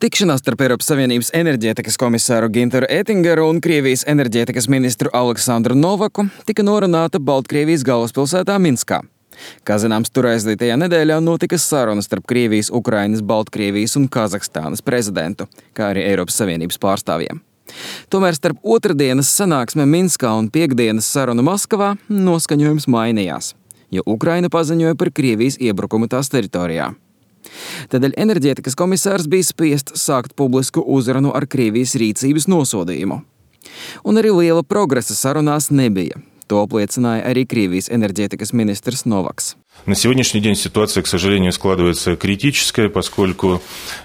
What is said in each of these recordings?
Tikšanās starp Eiropas Savienības enerģētikas komisāru Gintaru Ettingeru un Krievijas enerģētikas ministru Aleksandru Novaku tika norunāta Baltkrievijas galvaspilsētā Minskā. Kā zināms, tur aizdītajā nedēļā notika sarunas starp Krievijas, Ukrainas, Baltkrievijas un Kazahstānas prezidentu, kā arī Eiropas Savienības pārstāvjiem. Tomēr starp otrdienas sanāksme Minskā un piektdienas sarunu Maskavā noskaņojums mainījās, jo Ukraina paziņoja par Krievijas iebrukumu tās teritorijā. Tādēļ enerģētikas komisārs bija spiests sākt publisku uzrunu ar Krievijas rīcības nosodījumu. Un arī liela progresa sarunās nebija. To apliecināja arī Krievijas enerģētikas ministrs Novaks. На сегодняшний день ситуация, к сожалению, складывается критическая, поскольку,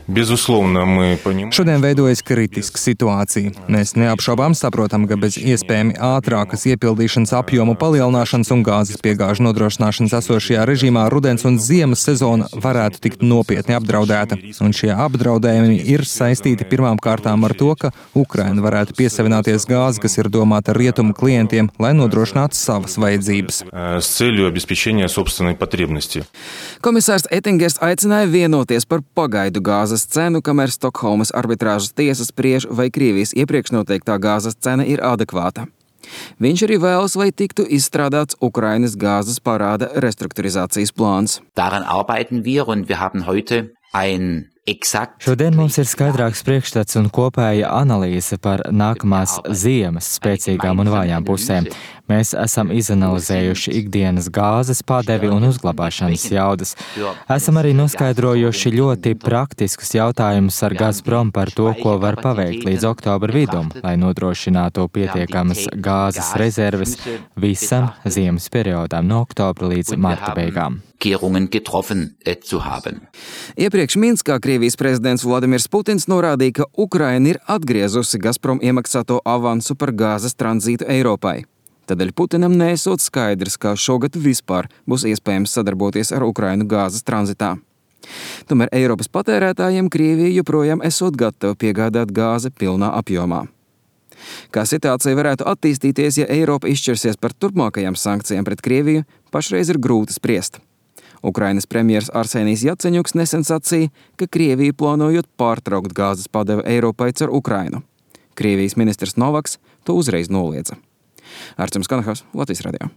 безусловно, мы понимаем... Šodien veidojas kritiska situācija. Mēs neapšaubām saprotam, ka bez iespējami ātrākas iepildīšanas apjomu palielināšanas un gāzes piegāžu nodrošināšanas esošajā režīmā rudens un ziemas sezona varētu tikt nopietni apdraudēta. Un šie apdraudējumi ir saistīti pirmām kārtām ar to, ka Ukraina varētu piesavināties gāzi, kas ir domāta rietumu klientiem, lai nodrošinātu savas vajadzības. С целью обеспечения собственной потребности. Komisārs Ettingers aicināja vienoties par pagaidu gāzes cenu, kamēr Stokholmas arbitrāžas tiesa spriež, vai Krievijas iepriekš noteiktā gāzes cena ir adekvāta. Viņš arī vēlas, lai tiktu izstrādāts Ukrainas gāzes parāda restrukturizācijas plāns. Daran arbeiten wir und wir haben heute ein Šodien mums ir skaidrāks priekšstats un kopēja analīze par nākamās ziemas spēcīgām un vājām pusēm. Mēs esam izanalizējuši ikdienas gāzes padevi un uzglabāšanas jaudas. Esam arī noskaidrojuši ļoti praktiskus jautājumus ar Gazprom par to, ko var paveikt līdz oktobra vidum, lai nodrošinātu pietiekamas gāzes rezerves visam ziemas periodam no oktobra līdz marta beigām. Iepriekš Minskā Krievijas prezidents Vladimirs Putins norādīja, ka Ukraina ir atgriezusi Gazprom iemaksāto avansu par gāzes tranzītu Eiropai. Tādēļ Putinam neesot skaidrs, kā šogad vispār būs iespējams sadarboties ar Ukrainu gāzes tranzitā. Tomēr Eiropas patērētājiem Krievija joprojām esot gatava piegādāt gāzi pilnā apjomā. Kā situācija varētu attīstīties, ja Eiropa izšķirsies par turpmākajām sankcijām pret Krieviju, pašreiz ir grūti spriest. Ukrainas premjers Arsenijs Jaceņuks nesen sacīja, ka Krievija plānojot pārtraukt gāzes padevi Eiropai caur Ukrainu. Krievijas ministrs Novaks to uzreiz noliedza. Arčuns Kanahaus, Latvijas radio.